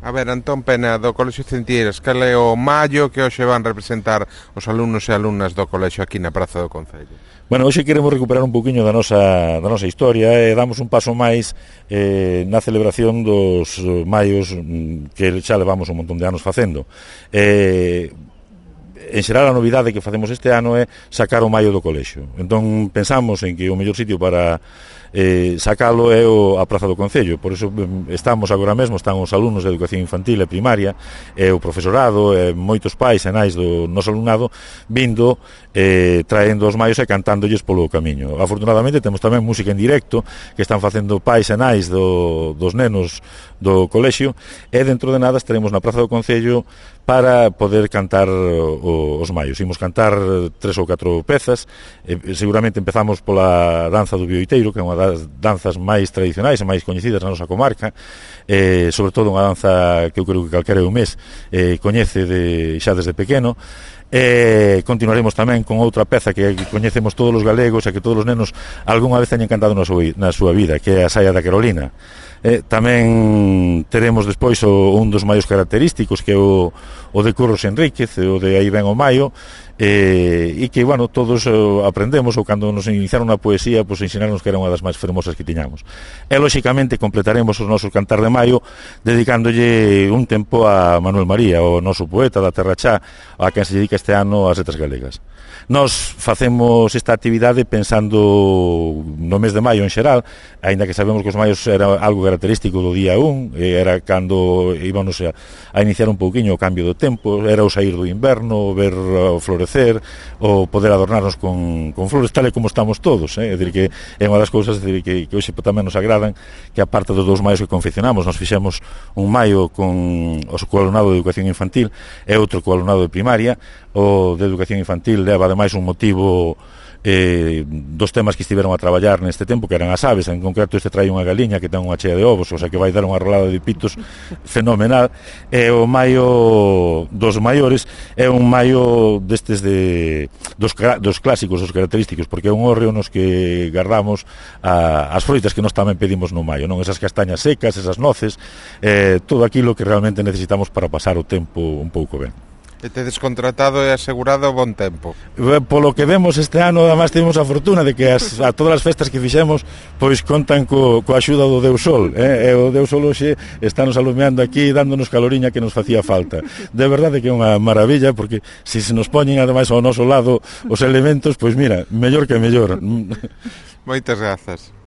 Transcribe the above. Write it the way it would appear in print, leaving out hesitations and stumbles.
A ver, Antón Pena, do Colexio Centieiras, cal é o mallo que hoxe van representar os alumnos e alumnas do colexio aquí na Praza do Concello? Bueno, hoxe queremos recuperar un poquinho da nosa historia e damos un paso máis na celebración dos maios que xa levamos un montón de anos facendo. En xeral, a novidade que facemos este ano é sacar o maio do colexio. Entón, pensamos en que o mellor sitio para sacalo é a Praza do Concello. Por iso estamos agora mesmo, están os alumnos de educación infantil e primaria, e o profesorado, e moitos pais e nais do noso alumnado vindo, traendo os maios e cantándolles polo camiño. Afortunadamente temos tamén música en directo que están facendo pais e nais dos nenos do colexio, e dentro de nada estaremos na Praza do Concello para poder cantar os maios. Imos cantar 3 ou 4 pezas, seguramente empezamos pola danza do bioiteiro, que é unha das danzas máis tradicionais e máis coñecidas na nosa comarca, sobre todo unha danza que eu creo que calquera un mes coñece xa desde pequeno. Continuaremos tamén con outra peza que coñecemos todos os galegos e que todos os nenos algunha vez teñen cantado na súa vida, que é a Saia da Carolina. Tamén teremos despois un dos maios característicos, que é o de Curros Enríquez, o de Aí ven o maio, e que, bueno, todos aprendemos, ou cando nos iniciaron a poesía, pois ensinarnos que era unha das máis fermosas que tiñamos. E, lóxicamente, completaremos os nosos cantar de maio dedicándolle un tempo a Manuel María, o noso poeta da Terra Chá, a quen se dedica este ano as letras galegas. Nos facemos esta actividade pensando no mes de maio en xeral, aínda que sabemos que os maios era algo característico do día 1, era cando íbamos a iniciar un pouquiño o cambio do tempo, era o saír do inverno, ver o florecer, o poder adornarnos con flores, tal e como estamos todos, é dicir que é unha das cousas que hoxe tamén nos agradan, que aparte dos 2 maios que confeccionamos, nos fixemos un maio con o alumnado de educación infantil e outro co alumnado de primaria. O de educación infantil leva ademais un motivo dos temas que estiveron a traballar neste tempo, que eran as aves. En concreto este trae unha galiña que ten unha chea de ovos, o sea que vai dar unha rolada de pitos fenomenal. E o maio dos maiores é un maio destes dos clásicos, dos característicos, porque é un hórreo nos que guardamos as froitas que nós tamén pedimos no maio, non? Esas castañas secas, esas noces, todo aquilo que realmente necesitamos para pasar o tempo un pouco ben. E tedes contratado e asegurado bon tempo? Polo que vemos este ano, además, temos a fortuna de que a todas as festas que fixemos pois contan coa axuda do Deus Sol, e o Deus Sol hoxe está nos alumeando aquí, dándonos caloriña que nos facía falta. De verdade que é unha maravilla, porque se nos poñen ademais ao noso lado os elementos, pois mira, mellor que mellor. Moitas grazas.